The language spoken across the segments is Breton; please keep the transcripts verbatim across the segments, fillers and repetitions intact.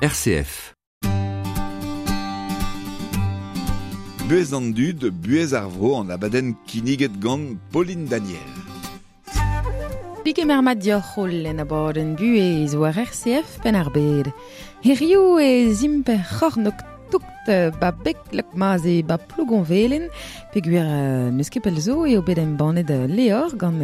R C F. Buez an dud, buez ar vro an abadenn kinniget gant Pauline Daniel. Digemer mat dioc'h holl en abadenn buez war R C F penn ar bed. Hiriv e zimp c'hornok toukt ba bek Lokmaze ba Plougonvelen, peogwir n'eus ket pell zo eo bet embannet Leor gant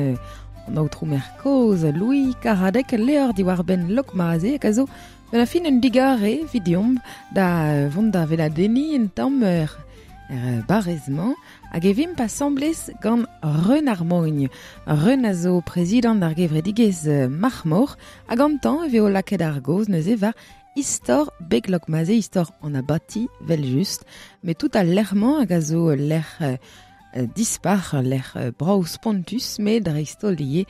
an aotrou Merkoz Louis Caradec Leor diwar-benn Lokmaze hag a zo ben a fin un digare videomp da vont da veladenni en tamm ur er barrez-mañ hag e vimp asambles gant Reun ar Mogn. Reun a zo prezidant ar gevredigezh Marc'h-Mor hag gantañ e vo lakaet ar gaoz neuze war istor beg Lokmaze, istor an abati, vel just, met tout al lec'h-mañ hag a zo lec'h euh, dispar, lec'h brav spontus, met dreist-holl ivez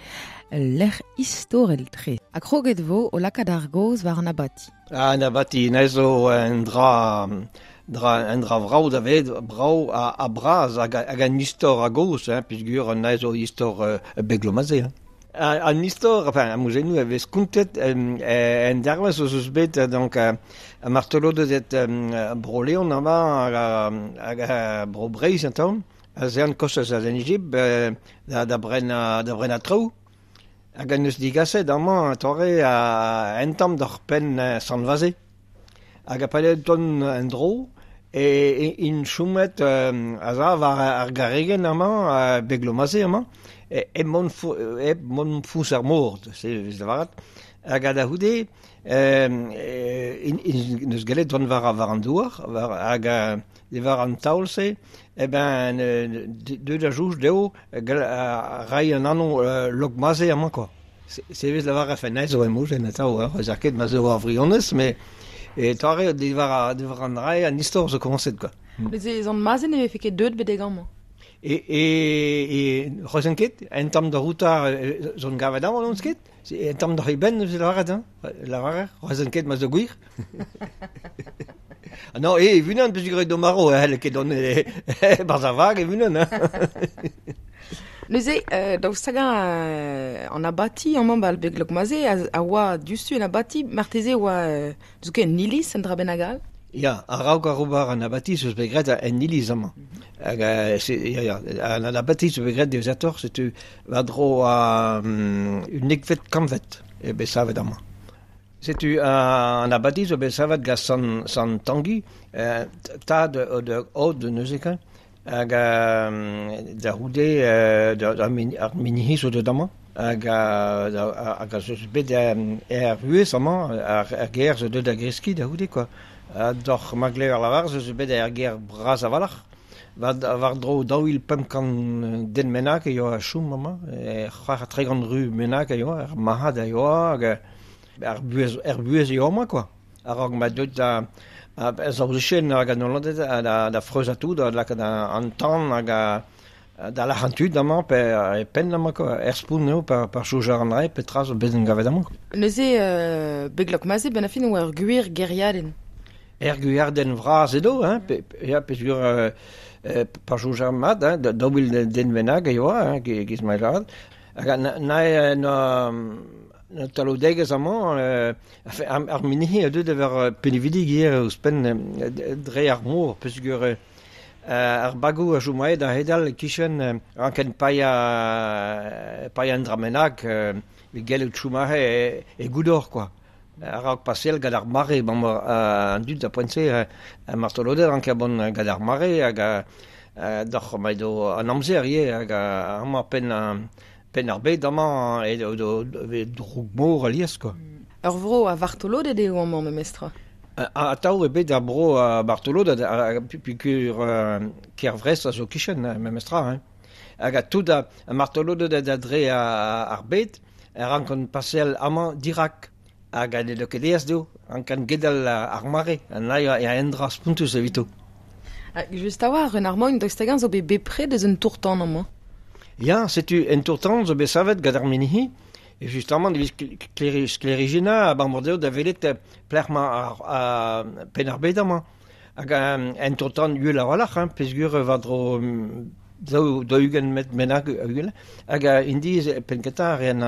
lec'h istorel tre. Ha kroget vo o lakaat ar gaoz war an abati. Ah, an abati, ne zo un dra... Dra, un dra vrav da ved, brav a, a braz hag, hag an istor a goz, hein, peogwir an zo istor euh, beg Lokmaze. Hein. An istor, enfin, a moujennou e vez kontet en, en dervez eus eus bet, donc, a martoloded et bro Leon amañ hag a bro Breizh an tamm, a zean kostez a Zenijib da, da bren da bren a traoù. Hag an eus digaset amañ torre a entam d'ar penn Sant-Vaze. Hag a palet ton en dro, e in choumet euh, a za war ar garregen amañ, uh, beg Lokmaze amañ, e, e mont fo, e mont fous ar mor, se vez lavaret. Hag a da houde, euh, in, in, neus gellet dont war, war an douar, war, hag a, de war an taol-se, e ben, deut a jouj deo, gell, a, rai an anv euh, Lokmaze amañ, quoi. Se, se vez lavaret a fenez zo emoujen atao, hein, eus ar ket ma zo ar vrionez, mais e tare diwar diwar an rai an istor zo komañset, quoi. Mais ez an maze ne vefe ket deut betek amañ. E, e, e rozen ket, en tamm da routar zon gavet amañ n'on ket, en tamm da c'heben eus lavaret, hein, lavarer, rozen ket ma zo gwir. Ah non, e vunan peus graet do maro, hell ket don e barz ar vag e vunan, hein. Neuze, euh, daou saga euh, an abati amañ ba beg Lokmaze a, a oa diouzhtu en abati, marteze oa euh, zo ket en iliz en dra bennak all? Ya, a-raok ar ober an abati zo bet graet en iliz amañ. Hag, euh, ya, ya, an abati zo bet graet diwezhatoc'h, setu war-dro a um, unnekvet kantved e bet savet amañ. Setu an abati zo bet savet gant Sant, Sant Tangi, euh, tad de od neuze ket. Hag da c'houde ar minihi zo deut amañ, hag hag a zo bet er vuhez amañ, ar gêr zo deut da greskiñ da c'houde, quoi. Doc'h ma glever lavar zo bet er gêr bras a-walc'h, war-dro daou vil pemp kant den bennak e yoa choum amañ, c'hwec'h ha tregont ru bennak e yoa, ar marc'had a yoa, hag ar buhez, ar buhez e yoa amañ, quoi. A-raok ma deut da a zaouzchen hag an Hollanded da, da freuz a tout, da lakaat an tan hag a, da lac'h an tud amañ, pe e penn amañ, quoi. Er spoun eo, par, par choujar an rae, petra zo bet en gavet amañ. Neuze, euh, beg Lokmaze, ben a fin oa ur gwir gêriadenn. Er gwiadenn vras edo, hein, pe, ya, peogwir euh, euh, par choujar mat, hein, daou vil den bennak e yoa, hein, giz ma lavaret. Hag na, na, na Na talodegezh amañ, euh, ar, ar minihi a deut ever penividig hier ouzhpenn dre ar mor, peogwir euh, ar bagou a chom aet a-hedal kichen ranken paia, paia an dra bennak, euh, evit gellout chom aze e, e goudor, quoi. A-raok pasel gant ar mare, bon, an dud da poent-se, uh, martoloded ranke bon gant ar mare, hag uh, doc'h ma edo an amzer ivez, hag amañ penn penn ar bed amañ e do droug mor alies, quoi. Ur vro a vartoloded eo amañ memestra. Atav eo bet ar bro a vartoloded, peogwir Kêr-Vrest a zo kichen memestra, hein. Hag a tout a martoloded a dre ar bed, a rankont pasel amañ dirak. Hag a ne ket aes dezho, rankont gedal ar mare, an a endra spontus evito. Just a-walc'h, Reun ar Mogn, daoust hag-eñ zo bet bepred eus un tour-tan amañ. Ya, setu un tour-tan zo bet savet gant ar minihi, e justamant evit sklêrijennañ abalamour dezho da welet pelec'h ma ar, penn ar bed amañ. Hag un tour-tan uhel a-walc'h, hein, peogwir war-dro daou ugent metr bennak uhel. Hag int-i penn kentañ a reent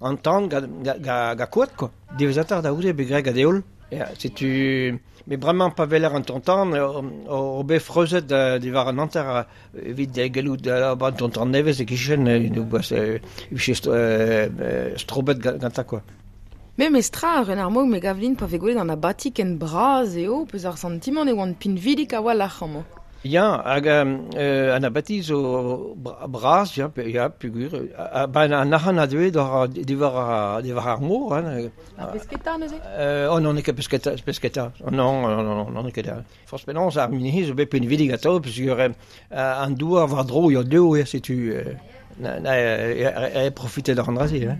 an tan gant ga, ga koad, quoi. Diwezhatoc'h da c'houde bet graet gant eoul. Ya, setu... Mais bremañ pa veler an tontan, o, o bet freuzet diwar an hanter evit gellout an tontan nevez e kichen, e strobet gantañ quoi. Me mestra, ren ar mog me gavlin pa ve gwelet an abati ken braz eo, peus ar santimant e oan pinvidik a-walc'h amañ. Ya, hag euh, an abati zo braz, ya, ya, peogwir. Ben an arc'hant a deue diwar, diwar ar mor. Hein. Ar pesketa neuze? euh, Oh non, n'eo ket pesketa, pesketa. Oh, non, non, non, non, n'eo ket. Forzh penaos ar minihi zo bet pinvidik atao, peogwir euh, an douar war-dro ya deo, ya, setu, euh, na, na, e, e profitet d'ar an dra-se, hein.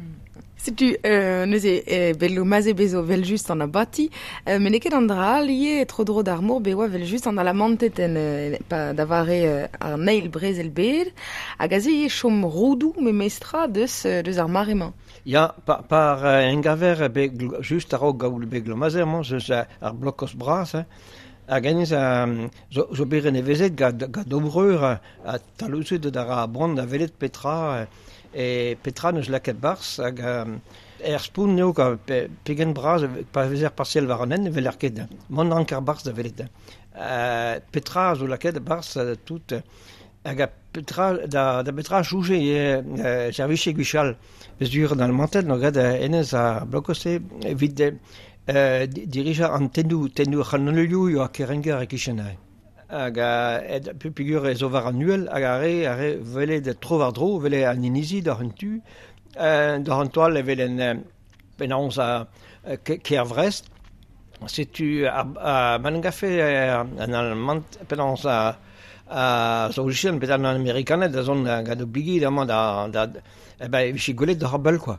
Setu, euh, neuze, e, bello maze bezo vel just an abati, euh, met n'eo ket an dra all ivez tro-dro d'ar mor be oa vel just an alamantet en, euh, pa da vare euh, ar neil brezel bed, hag aze ivez chom rodoù me mestra deus, deus ar mare-mañ. Ya, pa, par euh, engaver be, just a-raok gaout beglo mazer, mañ, zeus ar blokos bras, hein. Hag enez zo, zo bet renevezet gant, gant obreur ha talouzet da ra brand da welet petra e petra neus lakaet barzh hag er spoun eo ka pe, pegen bras pa vezer partiel war an en veler ket mont rank ar barzh da welet. Uh, petra zo lakaet barzh tout hag a petra da, da petra souje e uh, serviche gwechall bezur an almantel no gad enez a blokose evit Euh, dirija an tennou, tennou c'hanolioù eo a kerenger e kichen. Hag a peogwir e zo war an uhel hag a re, a re vele de tro war dro, vele an inizi d'ar un tu, euh, d'ar an toal e velen penaos a ker Vrest. Setu a, a man gafe an almant penaos a a zo bet an amerikaned da zon gant o bigi da da, da, e ben e vije gwelet d'ar beul quoi.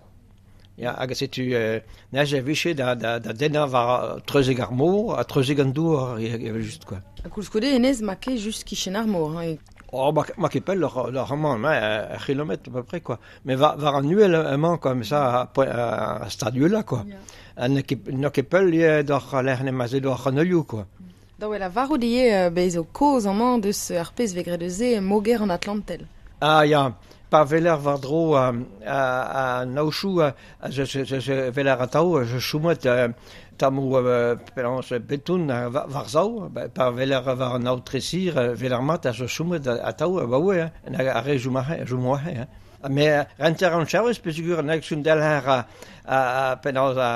Ya, hag setu euh, nage a vije da, da, da dennañ war treuzeg ar mor, ha treuzeg an dour, evel just quoi. Ha koulskoude enez ma ket just kichen ar mor. Hein. Oh, ma, ma ket pell leur, leur amañ, un kilomètre à peu près quoi. Mais war, war an uhel emañ quoi, ça a, a stad uhelañ quoi. Ha n'eo ket pell eo d'ar lec'h ne ma ze d'ar c'hanolioù quoi. Da wel a varout ivez bez zo kozh amañ deus ar pezh vez graet eus e moger an Atlantel. Ah ya, pa veler war-dro a, a, a naochoù a, je, je, je, veler atao, je choumet tammoù penaos betoun war zao, pa veler war an aotresir, veler mat a je choumet atao, ba oe, hein, a re joumahe, joumoahe, hein. Mais renter an charvez, peogwir nag soun delher a, a, a penaos a,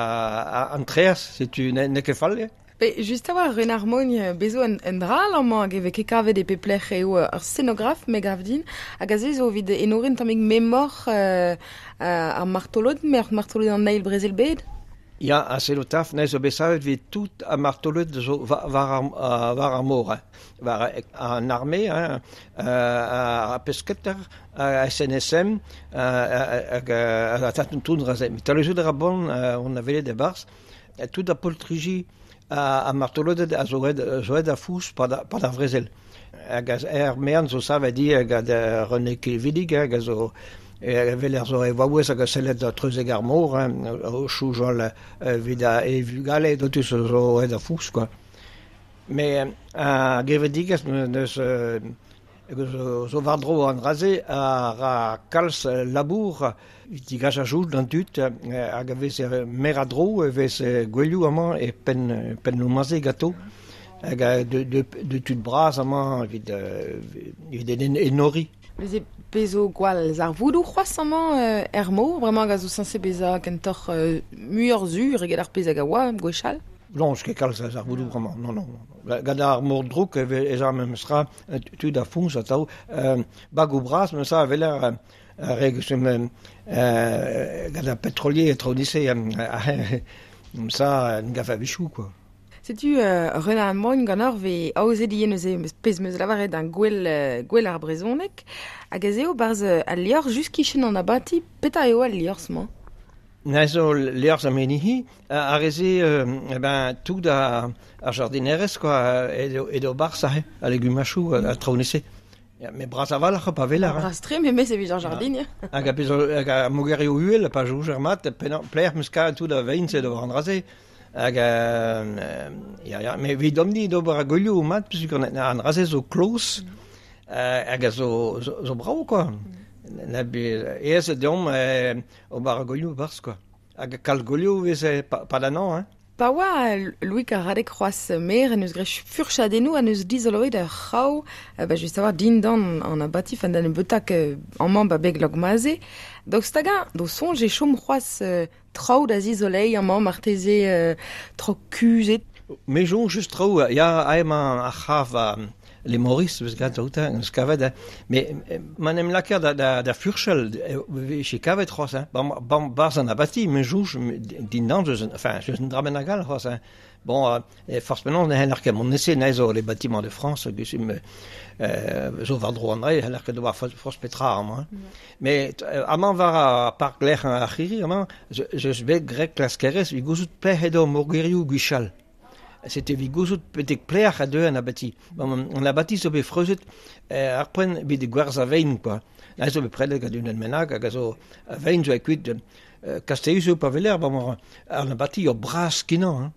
a, an treaz, setu n'eo ket fall, eh? Pe, just a war, ren ar mogn bezo en, en dra amañ hag e vez ket kavet e pep lec'h eo ur scenograf me gav din, hag aze zo evit enorin tammig memor euh, ar martolod, me ar martolod an eil brezel bed. Ya, a selotaf, ne zo bet savet evit tout ar martolod zo war, war, ar, war ar mor, hein. War an armée, hein, a pesketer, a S N S M, hag a tatun toun raze. Met talouzet a ra bon, on a velet e barz, tout a poltriji a, a martolodet a zo red, zo red a fous pa da, pa da vrezel. Hag a er mean zo savet di hag a René Kevidig, hag a zo evel er zo e vaouez hag a sellet da treuzeg ar mor, hein, o choujol evit a e vugale dotus zo red a fous, quoi. Mais a gevredigezh neus zo, zo war-dro an dra-se a ra kalz labour digaj a joul d'an dud hag a vez mer a dro e vez gwelioù amañ e penn, penn lomaze gato hag a de, de, de tud bras amañ evit, evit en enori. Neuze bezo gwall zarvoudoù c'hoazh amañ er mor, bremañ hag a zo sañse bezañ kentoc'h muioc'h zur eget ar pezh hag a oa gwechall. Non, ket kalz a zarvoudoù bremañ, non, non. Gant ar mor drouk ez ar memes tra tud a foñs atao. Bagoù bras, memes tra a weler reg gant ar petrolier e traoù-dise, ça en gav a-wechoù, quoi. Setu euh, Renan ar Mogn gant ur ve aozet ivez neuze pezh meus lavaret un gwell, gwell ar brezhoneg hag ez eo barzh al liorzh just kichen an abati, petra eo al liorzh-mañ? Na zo liorzh am enihi, ar reze euh, ben, tout a, a jardinerez quoi, edo, edo barzh ahe, a legumachoù, a traoù-nese. Ya, me bras a-walc'h pa veler. Bras tre, me mes evit ar jardinier. Hag a pezh hag a mogerioù uhel, pa joujer mat, plec'h meus kavet tout a vein se d'ober an dra-se. Hag euh, ya, ya, me evit omni d'ober a gwelioù mat, peogwir an dra-se zo kloz, mm. hag a zo, zo, zo brao, quoi. Mm. Na be aes deomp eh, ober a gwelioù barzh, quoi. Hag kalz gwelioù vez pa, pa d'an an, hein. Pa oa Louis Karadec c'hoaz mer en eus grech furchadennoù an eus dizoloet ur c'hraou, ba just a war dindan an abatif an dan beutak amañ ba beg Lokmaze. Daoust hag-eñ do soñj e chom c'hoaz traoù da zizolei amañ marteze traoù kuzhet. Me soñj just traoù, ya emañ ar c'hav le Maurice eus gant aotañ eus kavet, mais ma nem lakaer da, da, da furchel, che kavet c'hoaz, hein, bam, barz an abati, me soñj dindan eus, enfin, eus un dra bennak all c'hoaz, hein. Bon, euh, force penaos ne c'heller ket mont ese ne zo les bâtiments de France, euh, zo war dro an dre, c'heller ket d'ober force petra amañ. Hein. Mais amañ war ar park lec'h ar c'hirri, amañ, je bet grek klaskerez, vi gouzout pec'h edo morgerioù gwechall. C'était vi gouzout petek plec'h a deu an abati. Bon, an abati zo bet freuzet euh, ar poent bet de gwerz a vein, quoi. Na zo bet predet gant unan menag, hag a zo a vein zo e kuit euh, kasteiz zo pa veler, bon, an abati eo bras kenañ, hein.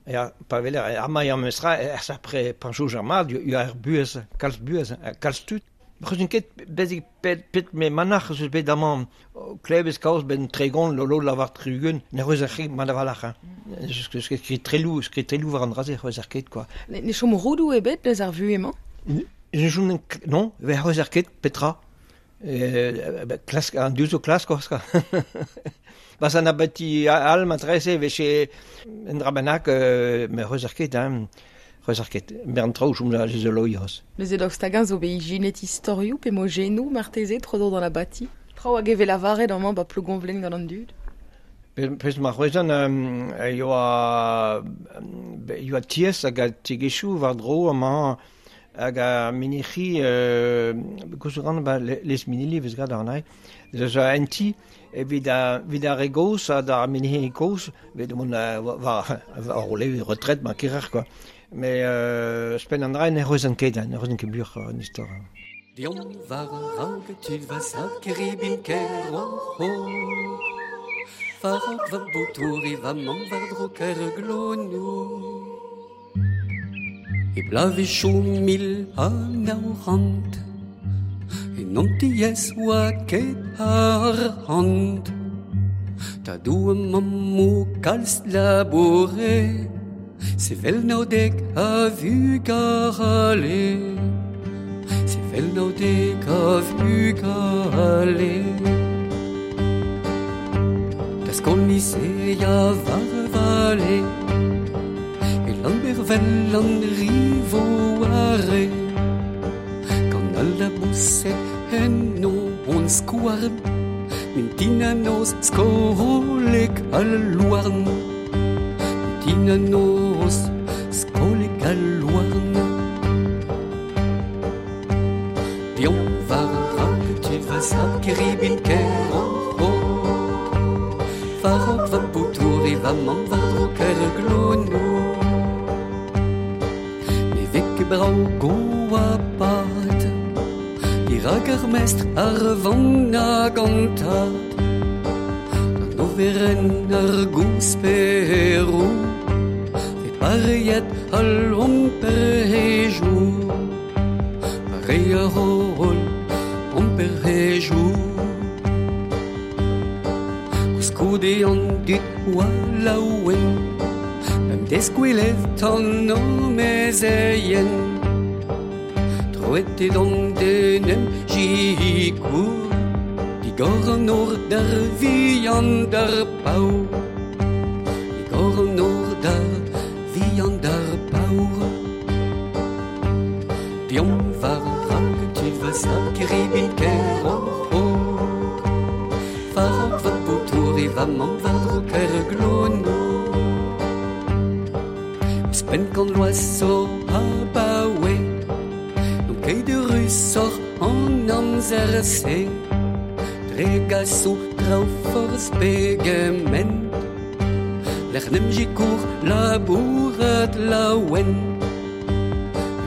Ya, pa veler, amañ ya mestra, er sapre panchou jarmad, eo ar buez, kalz buez, kalz tud. C'heus ket bezik pet, pet me manac'h eus bet amañ klebez kaoz ben tregont lo lo lavar triugun, ne c'heus ar c'hig madavalac'h. Hein. Skrit trelou, skrit trelou war an draze c'heus ar ket, quoi. Ne, ne chom rodoù ebet deus ar vu emañ? Ne chom non, ve c'heus ar ket petra. Euh, klask, an diouz o klask oska. Bas an abati al matrese veche en dra bennak, euh, me c'heus ar ket, hein. C'heus ar ket, bern traoù chom da zizoloi c'hoaz. Neuze daoust hag-eñ zo bet ijinet istorioù pe mojennoù marteze tro dro d'an abati? Traoù hag e vez lavaret amañ ba Plougonvelen gant an dud? Pez ma c'hwezan, eo eo tiez hag a tigechoù war dro amañ hag a minic'hi, gouzout ran ba les minili vez gant ar nae. Deus a en ti, evit a, evit ar re gozh ha d'ar minic'hi kozh, evit mont war war rolle retret ma kerer, quoi. Mais euh, spen an dra ne c'hwezan ket, ne c'hwezan ket buoc'h an istor. Deomp war raok tud va zad keribin ker ho. War raok va botour e va mamm war dro ker glonou. E blavezhioù mil ha nav c'hant, e nantiez oa ket arc'hant. Tadoù ha mammoù kalz laboure, sevel naodek a vugale, sevel naodek a vugale. Da skol lise ya war vale, e Lambervel an rivo are, gant al laboused en hon skouarn, mintin a noz skolek al louarn. Mintin a noz skolek al louarn. Deomp war raok tud va zad keribin ker ho. War raok va botour e va mamm war dro ker glonou. Me vez ket brav go a pat, dirak ar mestr ar vamm hag an tad. An overenn ar gousperoù, ve pareiet al omperhejoù. Parei ar holl omperhejoù. Koulskoude an dud oa laouen, bemdez gwelet an amezeien. Troet eo d'an den em sikour, digor an nor d'ar vihan d'ar paour. Digor an nor d'ar vihan d'ar paour. Deomp war raok tud va zad keribin ker ho. War raok va botour e va mamm war dro ker glonou. Ouzhpenn kant vloaz zo abaoe, n'omp ket eürusoc'h an amzer-se. Dre gasoù traoù forzh pegement, lec'h n'em sikour labourat laouen.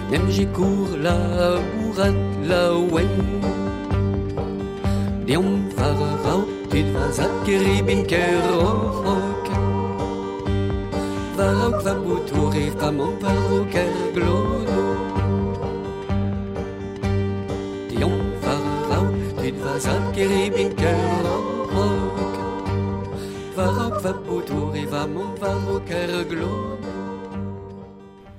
N'em sikour labourat laouen. Deomp war raok tud va zad keribin ker raok. War raok va botour e va mamm war dro ker glonou. Deomp war raok tud va zad keribin ker raok. War raok va botour e va mont var o kerglo.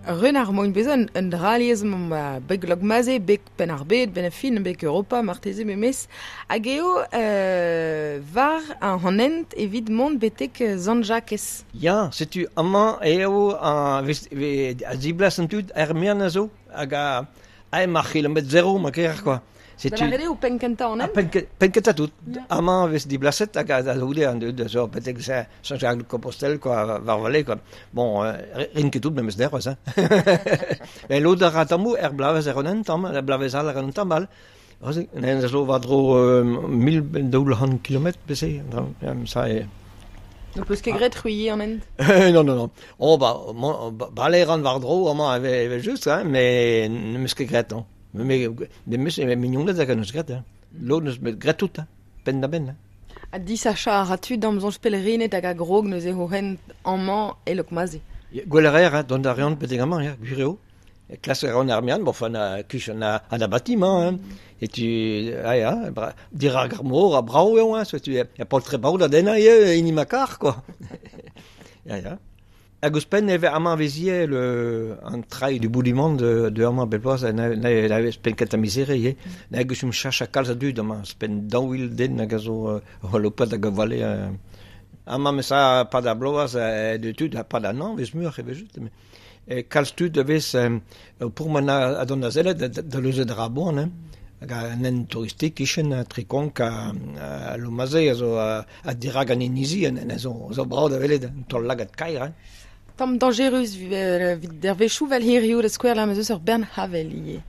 Renard moin bezon un draliez mom beg Lokmaze, beg Penn-ar-Bed, ben a fin, beg Europa, marteze memes, hag eo euh, var an hanent evit mont betek Zant-Jakez. Ya, setu amañ eo an a ziblas an tud er mean a zo, hag a a ma c'hilometr zero ma ker, quoi. Setu... Da eo penn kentañ an hent? Penn kentañ tout. Amañ vez diblaset hag a zoude an dud zo betek Saint-Jacques-de-Compostelle, quoi, war vale, quoi. Bon, rin ket tout memes dervez, hein. Mais l'autre a ratamou, er blavez er an tamm, er blavez all er an tamm all. Nen zo war dro mil daoul c'hant kilometr bese, sa e... No peus ket graet c'hwi an hent? Non, non, non. Oh, ba, bale ran war dro, amañ evel just, hein, mais ne meus ket graet, non. Mais mais mais mignoned hag an eus graet, hein. Lod neus bet graet tout, hein. Penn da benn, hein. A disachañ a ra tud d'am soñj pelerinet hag a grog neuze ho hent amañ e Lokmaze. Gwell a reer, hein, dont a reont betek amañ, ya, gwir eo. Klas a ran ar mean, bon, enfin, a kuch an an abatimant, hein. Et tu, ah ya, dir ar mor a brao eo, hein, tu, ya poltre brao da dennañ eo, hini ma kar, quoi. Ya, ya. Hag ouzhpenn eve amañ vezie le an trail du bout du monde de, de amañ beploaz na na spen ket a mizere ye. Na hag eus um chach a kalz a dud amañ spen daou den hag a zo uh, hag a vale. Uh, amañ me sa pa da bloaz uh, de tud ha pa da nan vez mur eve just. Mais, e kalz tud a vez euh, pour man a don a zelet da, da leuzet ar bon, hein. Hag an en touristik kichen trikonk a, a Lomaze a zo a, a dirag an inizi an a zo, zo brao da velet an tol lagat kaer, hein. Tamm dangerus vid dervechou vel hiriou da skouer la meus ur bern havel ivez.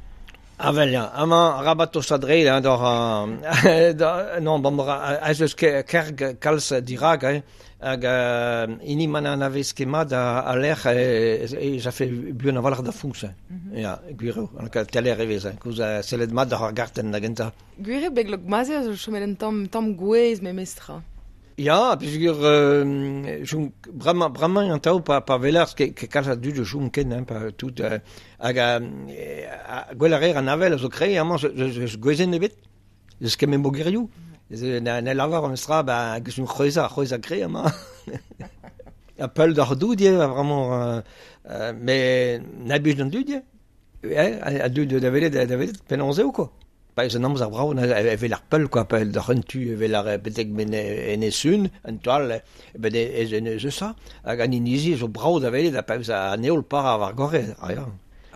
Avel, ya. Amañ rabat o sadre, hein, d'or euh, non, bon, ez eus kerg kalz dirag, hein, hag euh, hini man an avez ket mat a, a lec'h e, e, e fait buan a-walc'h da foñs. Mm -hmm. Ya, gwir eo, an teler e vez, hein, koulz a sellet mat d'ar gartenn da gentañ. Gwir eo beg Lokmaze a zo chomet un tamm, tamm gouez memestra. Ya, peogwir euh, chom bremañ bremañ an tav pa pa veler ket ket kalz a dud o chom ken, hein, pa tout euh, hag a, gwell a reer an avel a zo kre amañ eus gwezenn ebet, eus kement mogerioù. Na, na lavar an estra, ba geus un c'hweza, c'hweza kre amañ. A peul d'ar doud eo, vraiment, euh, euh, mais na blij d'an dud eo. A dud da welet, da welet, penaos eo, quoi. Pa eus an amzer brao, evel ar peul, quoi, peul d'ar un tu, evel ar betek ben en e sun, an toal, ben ez en eus sa, hag an inizi zo brao da welet, ha pa eus an eol par ar gore, ah ya.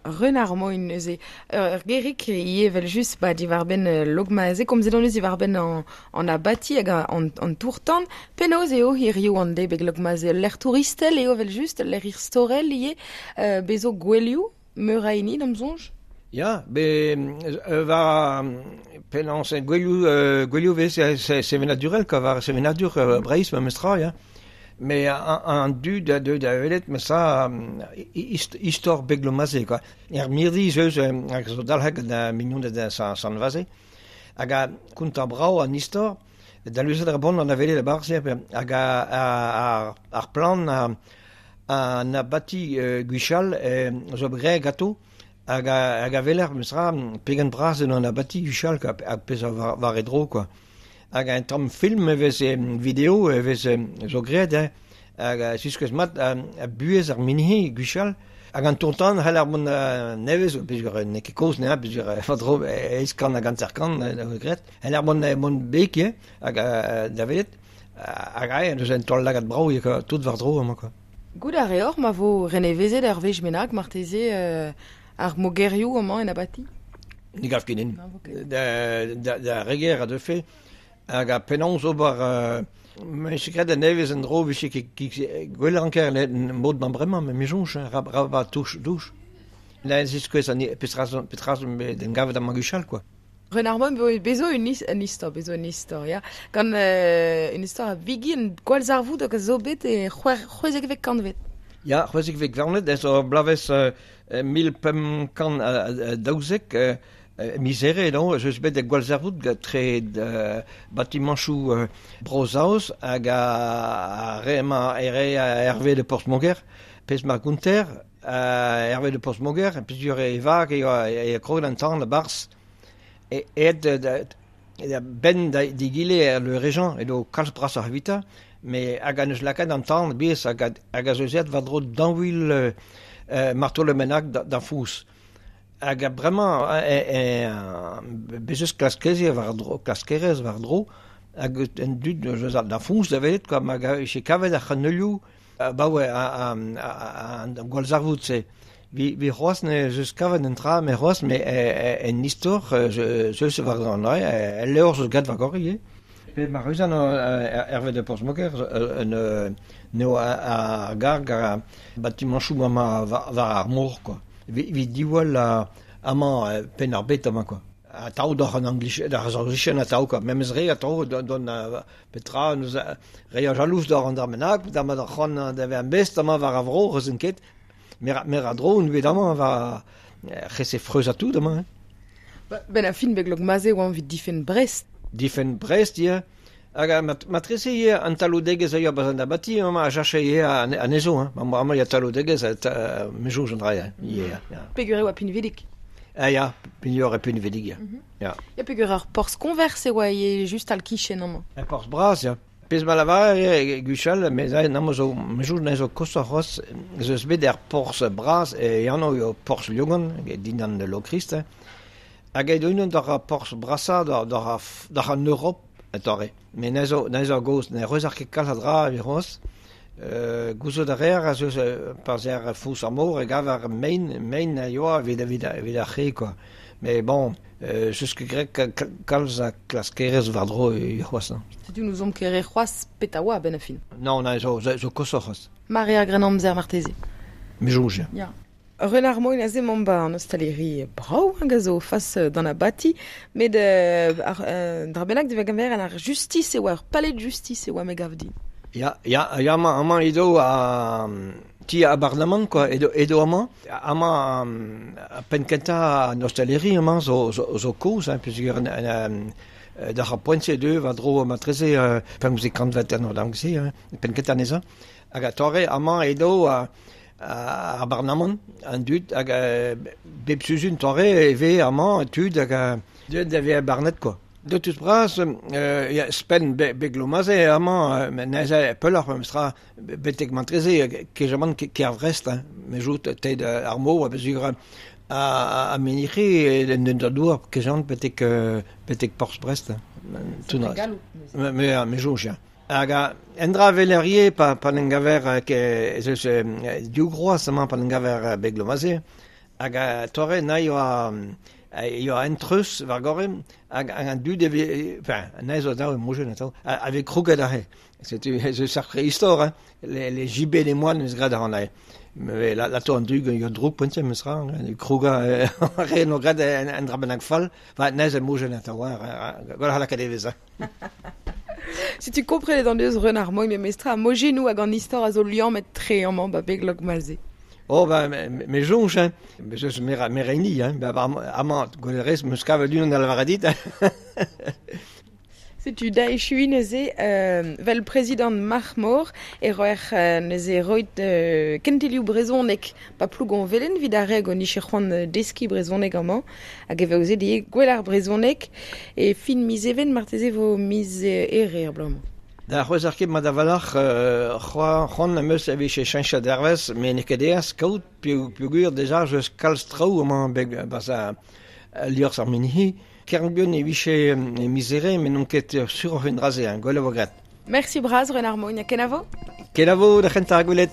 Renard moin neuze. Ur gerik ivez evel just ba diwar benn Lokmaze, komzet hon eus diwar benn an, an abati hag an, an tour-tan. Penaos eo hirio an de beg Lokmaze, lec'h touristel eo evel just, lec'h istorel ivez, euh, bezo gwelioù, meur a hini d'am soñj. Ya, be euh, war penaos gwelioù euh, gwelioù vez sevenadurel, quoi, war sevenadur euh, Breizh memestra, ya. Mais an, an dud da dud da welet, me sa istor beg Lokmaze, quoi. Er mirdi zeus hag zo dalc'hek da mignoned da Sant Vaze. Hag a kontañ brao an istor, da leuzet ar bon an a welet a-barzh, hag a, a, a, ar plan a, an abati euh, gwechall euh, zo bre gato, hag a, hag a veler mesra pegen bras en an abati gwechall, quoi, hag pezh a war, war e dro, quoi. Hag un tamm film e vez video e vez zo graet, hein, hag a siskouez mat a, a buhez ar minihi gwechall. Hag an tourtan c'hell ar mont nevez, peogwir n'eo ket kozh, ne, peogwir war-dro eizh kant hag hanter-kant graet. C'hell ar mont mont bek, hein, hag da welet, hag ae, deus un taol lagad brao, quoi, tout war-dro amañ, quoi. Gout a reor ma vo renevezet ar wech bennak marteze euh, ar mogerioù amañ en abati? Ne gav ket din. Da, da, da reger a deufe, hag a penaos ober euh, me sekret a nevez en dro vije ket gwell anker mod man bremañ, me soñj, rab rab touch douch. Na ziskouez an petra petra den gavet amañ gwechall, quoi. Renard moin bezo un, is, un istor, bezo un istor, ya. Gant euh, un istor a vigi un gwallzarvoud hag a zo bet e c'hwezekvet kantved. Ya, c'hwezekvet kantved, ez ur bloavezh euh, mil pemp kant daouzek, euh, mizere, non, ez eus bet e gwallzarvoud tre euh, batimanchoù euh, Bro-Saoz hag a, a re ma ere Hervé de Porsmoguer, pezh mar gonter, euh, Hervé de Porsmoguer, peogwir e vag e, e, e krog an tan a-barzh, e aet da, da ben da digile le régent edo kalz bras ar vita, Me hag an eus lakaet an tan bez hag hag a zo zet war dro danvil euh, martole menak da, da fous. Hag a bremañ e, e, bez eus klaskerez war dro, klaskerez war dro, hag en dud eus da fous da velet, quoi, hag a che kavet ar c'haneulioù, ba oe a, a, a, a gwallzarvoud-se. Vi, vi c'hoazh ne zeus kavet en tra, me c'hoazh, me en istor, zeus war an rai, el levr zeus gad war gorri, eh. Pe ma ruzan ervet de Porsmoker, un neo a garg a batimanchou ma war ar mor, quoi. Vi, vi diwall amañ pen ar bet amañ, quoi. A tao d'ar an anglich, d'ar zaozichen a tao, quoi. Memes re a tao, don petra, nous re a jalouz d'ar an darmenak, da ma d'ar c'hoant da an best, amañ war a vro, rezen ket. Mer, mer a dro, un bet amañ, va c'hese freuz a tout amañ. Ben a fin beglog maze oan vit difen Brest. Difen Brest, ya. Hag matrese eo an taloudegezh a ya bas an abati, amañ a jache eo anezo, hein. Amañ ya taloudegezh, me jouz an dra, ya. Pegur eo a pinvidik. Ah ya, pinvidik e pinvidik, ya. Ya. Ya pegur ar porzh konvers e oa eo just al kichen amañ. Ar porzh bras, ya. Pezh ma lavar e gwechall, me amañ zo, me jouz n'ezo kosoc'h c'hoazh, ez eus bet ar porzh bras, e anv eo porzh Liogan, dindan Lokrist, hein. Hag eo unan d'ar porzh brasañ d'ar d'ar an Europ, etore. Me n'ezo n'ezo goz, ne reus ar ket kalz a dra evit c'hoazh. Euh, gouzout a reer a zeus pa'z er foñs ar mor e gav ar mein, mein a yoa evit evit evit ar c'he, quoi. Mais bon, euh, zeus ket grek kalz a klaskerez war dro e c'hoazh. Setu nous omp ket re c'hoazh peta oa ben a fin. Non, non, zo, zo kosoc'h c'hoazh. Mare ar gren amzer marteze. Me soñj, ya. Renard Moin a ze mont ba an ostaleri brao hag a zo fas d'an abati, met euh, ar, euh, dra bennak de gamber an ar justice e oa, ar palais de justice e oa me gav din. Ya, ya, ya, amañ, amañ edo a ti a barlamant, quoi, edo, edo amañ, amañ a penn kentañ an ostaleri amañ zo, zo, zo kozh, hein, peogwir an, an, d'ar poent-se deu war dro matreze, euh, pemzek kantvet an ordang-se, hein, penn kentañ anezhañ. Hag a torre amañ edo a ar barlamant, an dud hag bep suzun torre e ve amañ tud hag dud da ve barnet, quoi. De tout bras, euh, ya spen be, beglomaze amañ, neuze peuloc'h memestra betek matreze kejamant ker Vrest, hein, me jout teid ar mor a bezugur a, a, a meniche en den da dour kejamant betek, betek Porzh Brest. Tout Me, me, me jout, ya. Hag a endra velerie pa, pa n'en ke ez eus div groaz amañ pa n'en gaver beglomaze hag a torre na eo eo en treus war gorre hag an dud eve, enfin, na zo daou mojen atao, ave krouget ahe. Setu ez eus sacré istor, hein. Les, les gibets les moines eus grad ar an ae. Me la, la to an dug eo drouk poent meus ra, krouga re no grad en dra bennak fall, va na zo mojen atao, gwell ha lakaat evez. Si tu komprenet an deus Renard Moin me mestra mojenou hag an istor a zo liammet tre amañ ba beglog malze. Oh, ben, me, me soñj, hein. Me zeus me, me reini, hein. Ben, amañ, gwelerez, meus kavet unan da lavaret dit. Setu da echuin neuze, euh, vel prezidant Marc'h-Mor, e roer euh, neuze roit euh, kentelioù brezhoneg pa Plougonvelen vid ar reg on iche c'hoant deski brezhoneg amañ, hag e veuze die gwell ar brezhoneg, e fin miz even marteze vo miz ere ar bloaz-mañ. Da c'hwez ar ket ma da valac'h, c'hoant am eus evit cheñch dervez, me n'eo ket eas kaout peogwir deja eus kalz traoù amañ beg bas a liorzh ar minihi. Kernbion e viche misere, mais non ket sur un draze, hein, gwell a vo gret. Merci bras, Renard Moin, kenavo? Kenavo, da c'hentañ ar gwelet.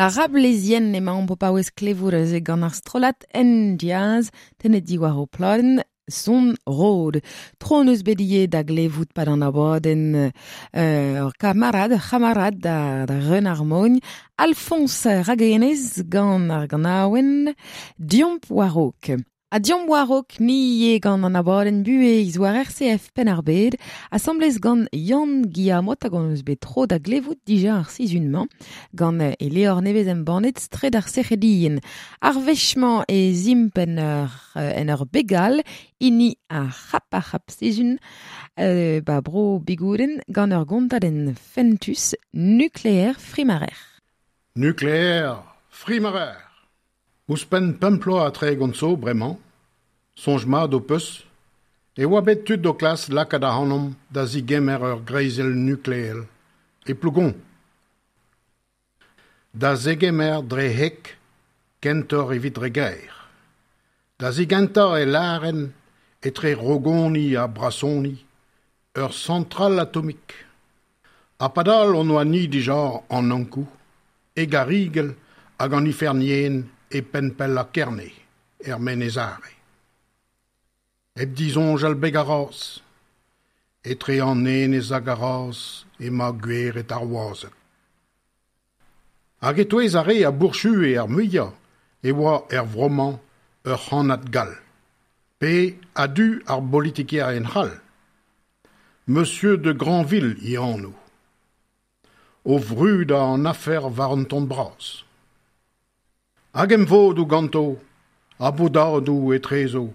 La Rablaisienne emañ omp o paouez klevout aze gant ar strollad en diaz, tenet diwar o pladenn son rod. Tro neus bet ivez da glevout pad an abadenn euh, ur kamarad, c'hamarad da, da Reun ar Mogn, Alphonse Ragenez gant ar ganaouenn Diomp war-raok. A diomp war-raok ni ivez gant an abadenn buhez war R C F Penn-ar-Bed, asamblez gant Yann Guillamot hag hon eus bet tro da glevout dija ar sizhun-mañ, gant e Leor nevez embannet stred ar sec'hedien. Ar wech-mañ e zimp en ur, en ur begal, hini ar c'hap ar c'hap sizhun, euh, ba bro Bigouden, gant ur gontadenn fentus nucléaire frimarer. Nucléaire frimarer. Ouzhpenn pemp ploaz ha tregont zo bremañ, soñj mat ho peus, e oa bet tud o klas lakaat ac'hanomp da zigemer ur greizenn nukleel, e Plougon. Da zegemer dre heg, kentoc'h evit dre gaer. Da zigentañ e lâren etre Rogoni ha Brasoni, ur santral atomik. Ha padal hon oa ni dija an Ankou, e Garigel hag an Ifernien e penn-pell ha Kerne, er Menez-Are. Hep disoñjal beg ar raz, etre an enez hag ar raz emañ gweret ar wazed. Hag e-touez ar re a bourchue ar muiañ e oa er vro-mañ ur c'hannad gall, pe a-du ar bolitikerien c'hall. Monsieur de Granville e anv. O vrudañ an afer war an ton bras. Hag emvodoù ganto, ha bodadoù etrezo,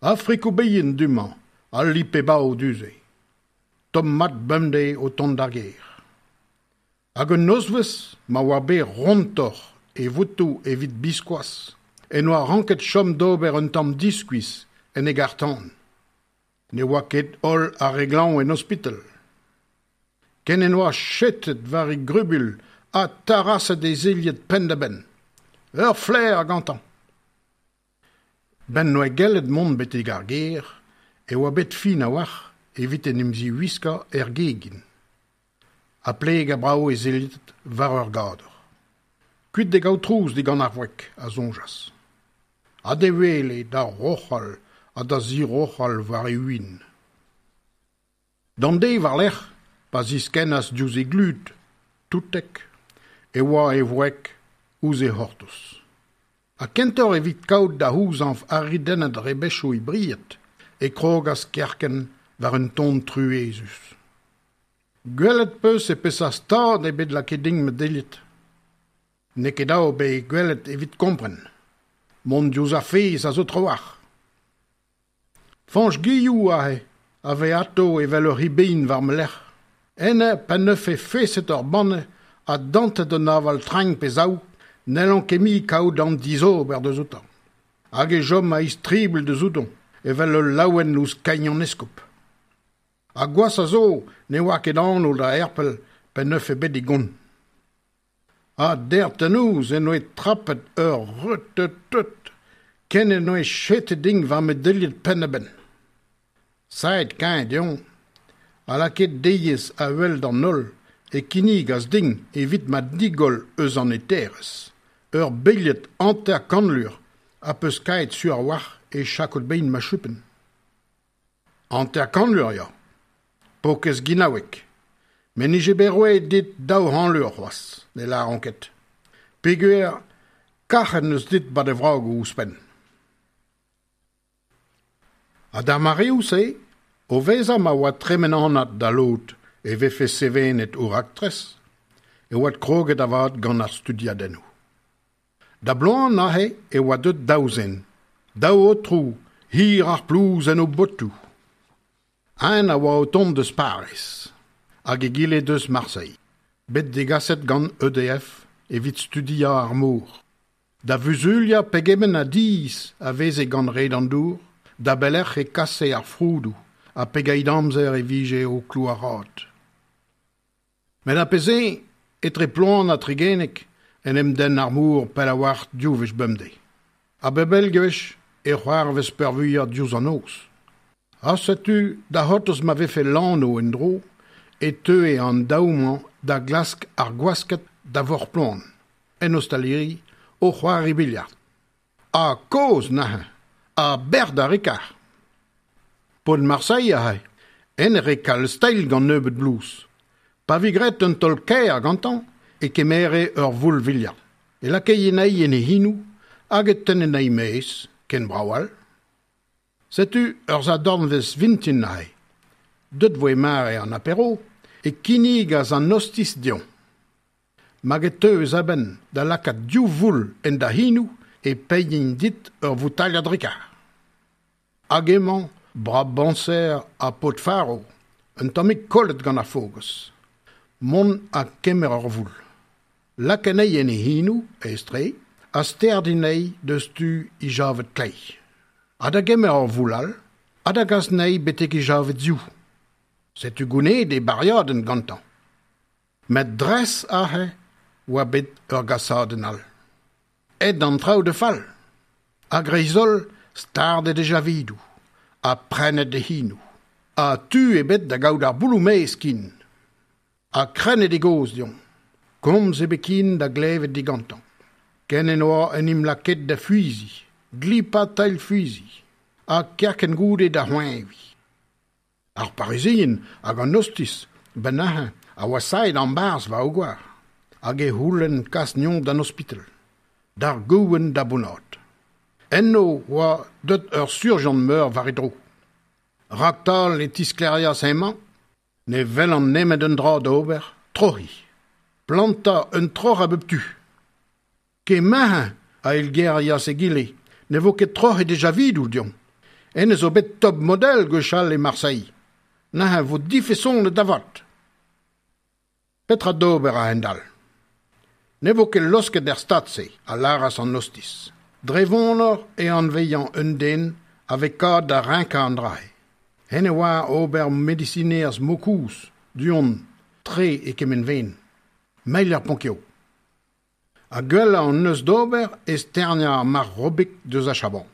ha frikobeien du-mañ, ha lipebao du-se. Tomm-mat bemdez o tont d'ar gêr. Hag un nozvezh ma oa bet rontoc'h e votoù evit biskoazh, en oa ranket chom d'ober un tamm diskuizh en e garr-tan. Ne oa ket holl ar re glañv en ospital. Ken en oa chetet war e grubul ha taraset e zilhad penn-da-benn. Ur flaer gantañ. Ben n'oa gellet mont betek ar gêr, e oa bet fin a-walc'h evit en em ziwiskañ er gegin. Ha plegañ brav e zilhad war ur gador. Kuit da gaout trouz digant ar wreg, a soñjas. Ha d'e wele da roc'hal ha da ziroc'hal war e win. D'an deiz war-lerc'h, pa ziskennas diouzh e glud, toutek, e oa e wreg ouzh e c'hortoz. Ha kentoc'h evit kaout da c'houzañv ar ridennad rebechoù e bried, e krogas kerkent war un ton truezus. Gwelet peus e peseurt stad eo bet lakaet din ma dilhad. N'eo ket dav bezañ gwelet evit kompren. Mont diouzh ar fez a zo trawalc'h. Fañch Guillou aze a vez atav evel ur ribin war ma lerc'h. Enne pa neufe feset ur banne ha dantet un aval trenk pe zaou, n'hellont ket mui kaout an dizober deus outañ. Hag e chom a-istribilh deus outañ, evel ul laouen ouzh kein an eskob. Ha gwazh a zo ne oa ket anv da herpel pa neufe bet e gont. Ha dec'h da noz en doe trapet ur reut-teut, ken en doe chetet din war ma dilhad penn-da-benn. Saet kaer deomp, ha lakaet deiz a-wel d'an holl e kinnigas din evit ma digoll eus an eterezh. Ur bilhed hanter kant lur ha peus kaet sur a-walc'h e chakod bein ma chupenn. Hanter kant lur ya, paourkaezh ginaoueg. Met nije bet roet dit daou c'hant lur c'hoazh, ne lâran ket. Peogwir kac'het neus dit ba da vragoù ouzhpenn. Ha d'ar mareoù-se, o vezañ ma oa tremen anat da lod e vefe sevenet o raktres, e oad kroget avat gant ar studiadennoù. Da bloaz neuze e oa deut daou zen, daou aotrou, hir ar plouz en o botoù. Un a oa o tont deus Pariz, hag egile deus Marseille, bet degaset gant E D F evit studiañ ar mor. Da vuzuliañ pegement a dizh a veze gant red an dour, da belec'h e kase ar froudoù, ha pegeit amzer e vije o klouarad. Met ar pezh-se, etre Ploan ha Tregeneg, en em denn ar mor pell a-walc'h div wech bemdez. Ha bep eil gwech e c'hoarvez peurvuiañ diouzh an noz. Ha setu da c'hortoz ma vefe lanv en-dro, e teue an daou-mañ da glask ar gwasked da vor Ploan, en ostaliri, o c'hoari bilhard. Ha koz nahe, ha berr da Ricard. Pod Marseille ahe, en re kal steil gant nebeut blouz. Pa vi gret un tol kaer gantañ, e kemere ur voul villiard. E lakei enei en e hinou, hag e ten enei mez, ken brawal. Setu ur zadornvez vintin ahe. Deut voe mare an apero, e kinnig az an hostis dion. Mag e teu eus a-benn da lakaat div voul en da hinou e peigin dit ur voutailhad Ricard. Hag emañ brabanser ha paotr faro, un tammig kollet gant ar fogos. Mont ha kemer ur voul. Lak anezhi en e hinou, aes-tre, ha sterdin anezhi deus tu e javet kleiz. Ha da gemer ur voul all, ha da gas anezhi betek e javet ziv. Setu gounezet e bariadenn gantañ. Met dres aze oa bet ur gasadenn all. Aet an traoù da fall. A-greiz-holl stardet e javidoù, ha prennet e hinou. Ha tu ebet da gaout ar bouloù maez ken. Ha krennet e gaoz deomp. Komz ebet ken da glevet digantañ. Ken en oa en em lakaet da fuiziñ, glipañ teil fuiziñ, ha kerkent goude da c'hoeñviñ. Ar Parizien hag an hostis, ben neuze, a oa saet an barzh war o gwar, hag e c'houlenn kas anezhañ d'an ospital, d'ar gouent da Bonad. Eno oa deut ur surjian meur war e dro. Raktal e tisklêrias hemañ, ne welan nemet un dra d'ober, troc'hiñ. Plantañ un troc'h a bep tu. Kemañ a eilgerias egile, ne vo ket troc'het e javidoù deomp. Hennezh zo bet top model gwechall e Marseille. Neuze vo difesonet da vat. Petra d'ober a-hend-all. Ne vo ket losket er stad-se, a lâras an hostis. Dre vonor e anvezañ un den a vez kad da renkañ an dra-se. Hennezh oa ober medisinerezh mokouz, du-hont, tre e kement ven. Meilh ar Ponkeo. Ha gwellañ an neus d'ober e sterniañ ar marc'h Robik deus ar Chaban.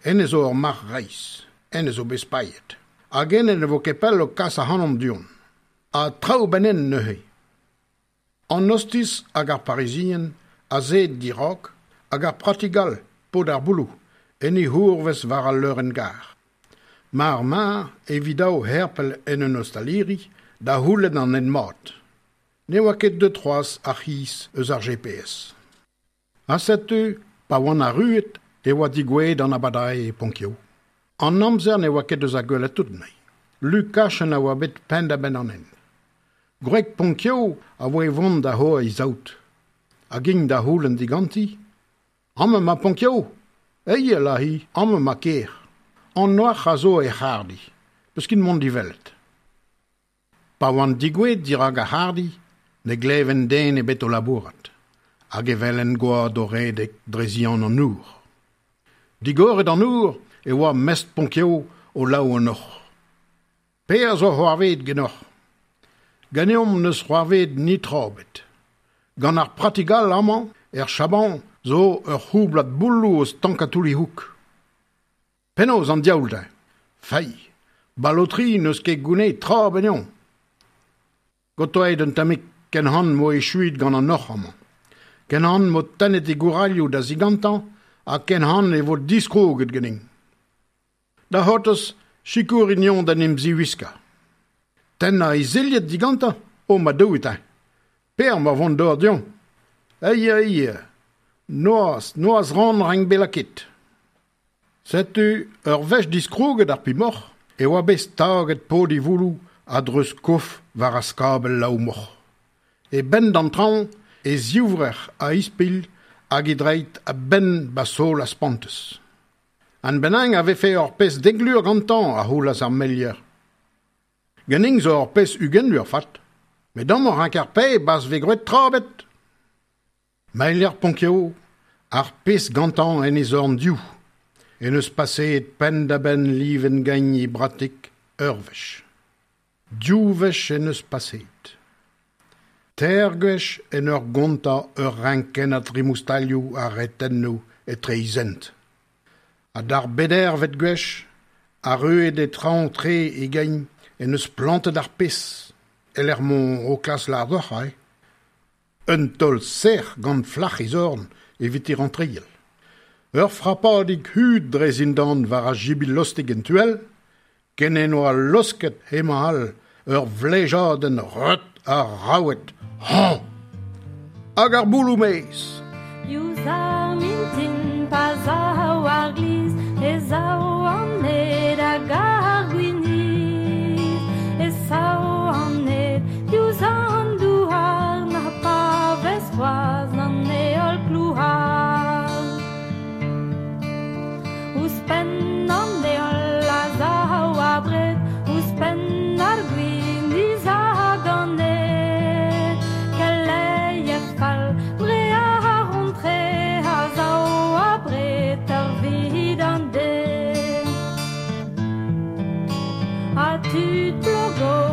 Hennezh zo ur marc'h reizh, hennezh zo bet spailhet. Hag hennezh ne vo ket pell o kas ac'hanomp du-hont. Ha traoù benn neuze. An hostis hag ar Parizien a zed dirak hag ar pratigal, paotr ar bouloù, en e c'hourvez war al leurenn-gar. Mar mar evit daou herpel en un ostaliri da c'houlenn an hent mat. Ne oa ket deut c'hoazh ar c'hiz eus ar G P S. Ha setu, pa oan arruet, e oa digouezhet an abadae e Ponkeo. An amzer ne oa ket eus ar gwelet tout anezhi. Lukachen a oa bet penn-da-benn an hent. Gwreg Ponkeo a voe vont da c'hoar e saout. Hag int da c'houlenn diganti. Amañ ma Ponkeo, eil a hi, amañ ma ker. An noac'h a zo e c'hardi, peus ket mont diwelet. Pa oan digouezhet dirak ar c'hardi, ne gleven den ebet o labourat, hag e welen gwad o redek dre zihan an our. Digoret an our e oa mestr Ponkeo o laou an hoc'h. Pe a zo c'hoarvezet genoc'h. Ganeomp n'eus c'hoarvezet netra ebet. Gant ar pratigal amañ, er Chaban, zo ur c'houblad bouloù o stankañ toull e c'houk. Penaos an diaoul da? Fei, balotri n'eus ket gounezet tra ganeomp. Gotoet un tammig ken han mo echuet gant an hoc'h amañ. Ken han mo tennet e gouralioù da zigantañ ha ken han e vo diskroget ganin. Da c'hortoz, sikour ignon da n'em ziwiskañ. Tennañ e zilhad digantañ, o ma doue ta. Per ma vont d'or deomp. Ei, ei, noaz, noaz ran rank belaket. Setu ur wech diskroget ar pimoc'h e oa bet staget paotr e vouloù a-dreuz kof war ar skabell laou-moc'h. E benn d'an traoñ e zivrec'h a ispilh hag e dreid a-benn basol a spontus. An bennañ a vefe ur pezh deglur gantañ a c'houlas ar melier. Ganin zo ur pezh ugent-lur fat. Met amañ rank ar pae bas vez gwraet tra ebet. Maelier Ponkeo, ar pezh gantañ en e zorn div. En eus paseet penn-da-benn livenn gagn e bratik ur wech. Div wech en eus paseet. Teir gwech en ur gontañ ur renkennad rimoustalioù ha retennoù etre e zent. Ha d'ar bedervet gwech, arruet e traoñ-tre e gagn en eus plantet ar pezh, e lec'h mont o klas lardoc'h, eh? Un tol ser gant flach izorn evit ir antriel. Ur frapadig hud dre zindan war a jibil lostig en tuel, ken en oa losket hemañ all ur vlejadenn reut a raouet. Han! Hag ar boulou mez! Diouzh ar mintin pa zav ar gliz, e zav an ed hag ar gwiniz. E sav an ed diouzh an douar, na pa vez c'hoazh an heol klouar. Ouzhpenn an heol a zav abred, ouzhpenn ar gwiniz hag an ed. Keleier fall dre ar rontre a zav abred ur vid an den. Ha tud Plogo